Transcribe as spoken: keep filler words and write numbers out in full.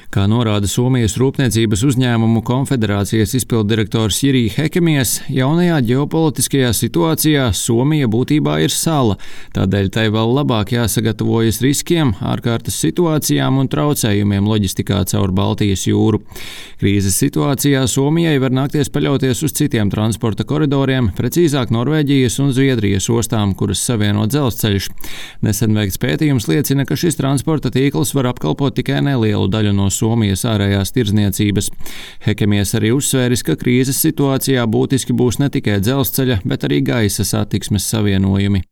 Kā norāda Somijas Rūpniecības uzņēmumu konfederācijas izpilddirektors Jiri Hekemies, jaunajā ģeopolitiskajā situācijā Somija būtībā ir sala, tādēļ tai vēl labāk jāsagatavojas riskiem, ārkārtas situācijām un traucējumiem loģistikā caur Baltijas jūru. Krīzes situācijā Somijai var nākties paļauties uz citiem transporta koridoriem, precīzāk Norvēģijas un Zviedrijas ostām, kuras savieno dzelzceļš. Nesen veikts pētījums liecina, ka šis transporta tīkls var apkalpot tikai nelielu daļu no Somijas ārējās tirdzniecības. Hekemies arī uzsvēris, ka krīzes situācijā būtiski būs ne tikai dzelzceļa, bet arī gaisa satiksmes savienojumi.